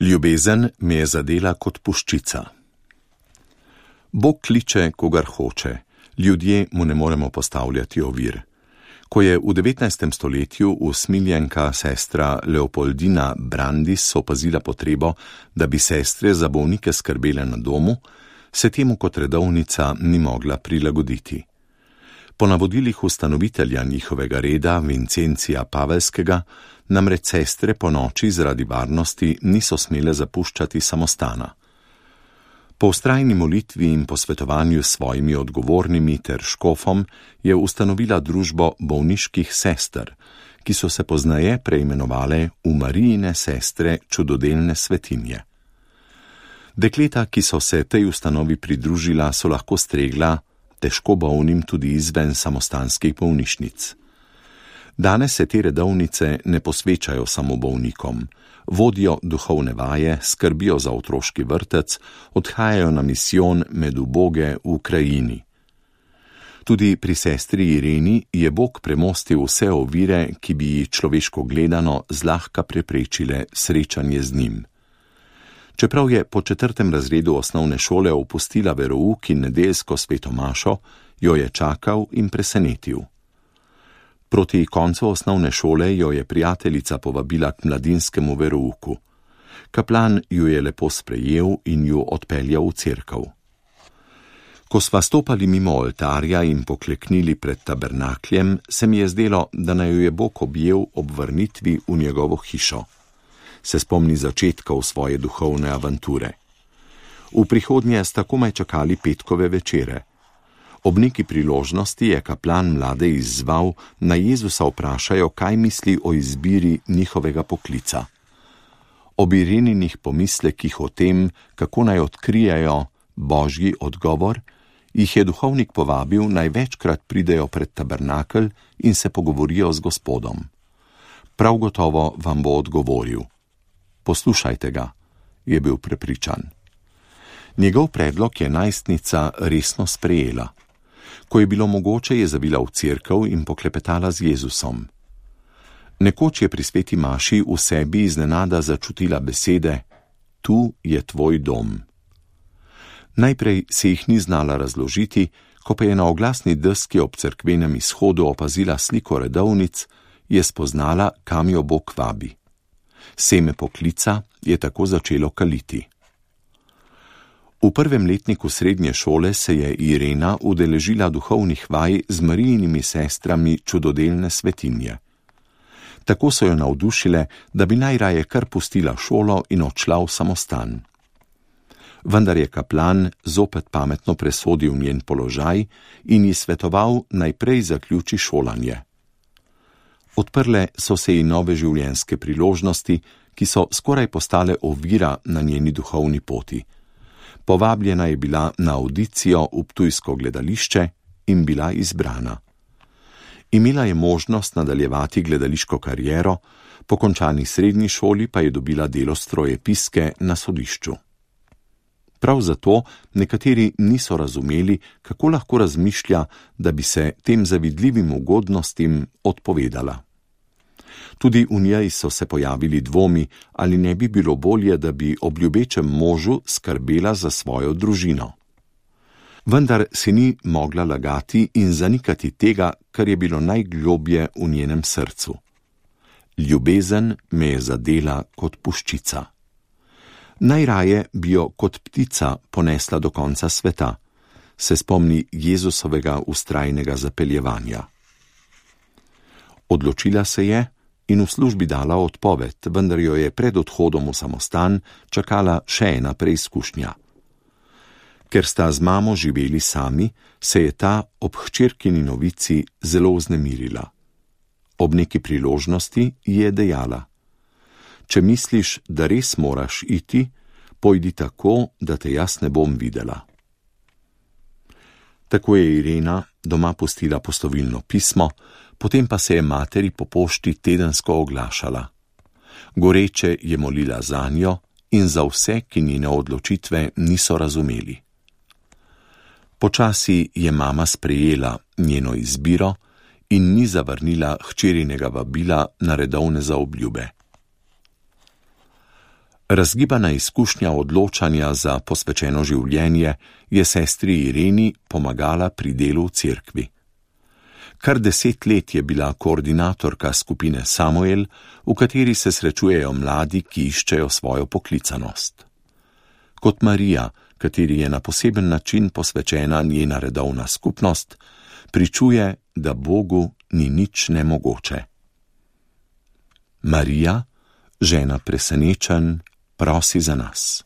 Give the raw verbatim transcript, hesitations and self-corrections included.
Ljubezen me je zadela kot puščica. Bog kliče, kogar hoče, ljudje mu ne moremo postavljati ovir. Ko je v devetnajstem stoletju usmiljenka sestra Leopoldina Brandis opazila potrebo, da bi sestre za bolnike skrbele na domu, se temu kot redovnica ni mogla prilagoditi. Po navodilih ustanovitelja njihovega reda, Vincencija Pavelskega, namreč sestre po noči zaradi varnosti niso smele zapuščati samostana. Po vztrajni molitvi in posvetovanju s svojimi odgovornimi ter škofom je ustanovila družbo bolniških sester, ki so se pozneje preimenovale v Marijine sestre čudodelne svetinje. Dekleta, ki so se tej ustanovi pridružila, so lahko stregla težko bolnim tudi izven samostanskih bolnišnic. Danes se te redovnice ne posvečajo samo bolnikom, vodijo duhovne vaje, skrbijo za otroški vrtec, odhajajo na misijon med uboge v krajini. Tudi pri sestri Ireni je Bog premostil vse ovire, ki bi ji človeško gledano zlahka preprečile srečanje z njim. Čeprav je po četrtem razredu osnovne šole opustila verouk in nedeljsko sveto mašo, jo je čakal in presenetil. Proti koncu osnovne šole jo je prijateljica povabila k mladinskemu verouku. Kaplan ju je lepo sprejel in ju odpeljal v cerkev. Ko sva stopali mimo oltarja in pokleknili pred tabernakljem, se mi je zdelo, da naj jo je Bog objel ob vrnitvi v njegovo hišo. Se spomni začetkov svoje duhovne avanture. V prihodnje sta komaj čakali petkove večere. Ob neki priložnosti je kaplan mlade izzval, naj Jezusa vprašajo, kaj misli o izbiri njihovega poklica. Ob Ireninih pomislekih o tem, kako naj odkrijajo božji odgovor, jih je duhovnik povabil, naj večkrat pridejo pred tabernakelj in se pogovorijo z Gospodom. Prav gotovo vam bo odgovoril. Poslušajte ga, je bil prepričan. Njegov predlog je najstnica resno sprejela. Ko je bilo mogoče, je zavila v cerkev in poklepetala z Jezusom. Nekoč je pri sveti maši v sebi iznenada začutila besede: Tu je tvoj dom. Najprej se jih ni znala razložiti, ko pa je na oglasni deski ob cerkvenem izhodu opazila sliko redovnic, je spoznala, kam jo Bog vabi. Seme poklica je tako začelo kaliti. V prvem letniku srednje šole se je Irena udeležila duhovnih vaj z Marijinimi sestrami čudodelne svetinje. Tako so jo navdušile, da bi najraje kar pustila šolo in odšla v samostan. Vendar je kaplan zopet pametno presodil njen položaj in ji svetoval, naj prej zaključi šolanje. Odprle so se ji nove življenjske priložnosti, ki so skoraj postale ovira na njeni duhovni poti. Povabljena je bila na audicijo v ptujsko gledališče in bila izbrana. Imela je možnost nadaljevati gledališko kariero, po končani srednji šoli pa je dobila delo strojepiske na sodišču. Prav zato nekateri niso razumeli, kako lahko razmišlja, da bi se tem zavidljivim ugodnostim odpovedala. Tudi v njej so se pojavili dvomi, ali ne bi bilo bolje, da bi ob ljubečem možu skrbela za svojo družino. Vendar si ni mogla lagati in zanikati tega, kar je bilo najglobje v njenem srcu. Ljubezen me je zadela kot puščica. Najraje bi jo kot ptica ponesla do konca sveta, se spomni Jezusovega vztrajnega zapeljevanja. Odločila se je in v službi dala odpoved, vendar jo je pred odhodom v samostan čakala še ena preizkušnja. Ker sta z mamo živeli sami, se je ta ob hčerkini novici zelo vznemirila. Ob neki priložnosti ji je dejala: Če misliš, da res moraš iti, pojdi tako, da te jaz ne bom videla. Tako je Irena doma pustila postovilno pismo, potem pa se je materi po pošti tedensko oglašala. Goreče je molila zanjo in za vse, ki njene odločitve niso razumeli. Počasi je mama sprejela njeno izbiro in ni zavrnila hčerinega vabila na redovne zaobljube. Razgibana izkušnja odločanja za posvečeno življenje je sestri Ireni pomagala pri delu v cerkvi. Kar deset let je bila koordinatorka skupine Samuel, v kateri se srečujejo mladi, ki iščejo svojo poklicanost. Kot Marija, kateri je na poseben način posvečena njena redovna skupnost, pričuje, da Bogu ni nič nemogoče. Marija, žena presenečenj, prosi za nas.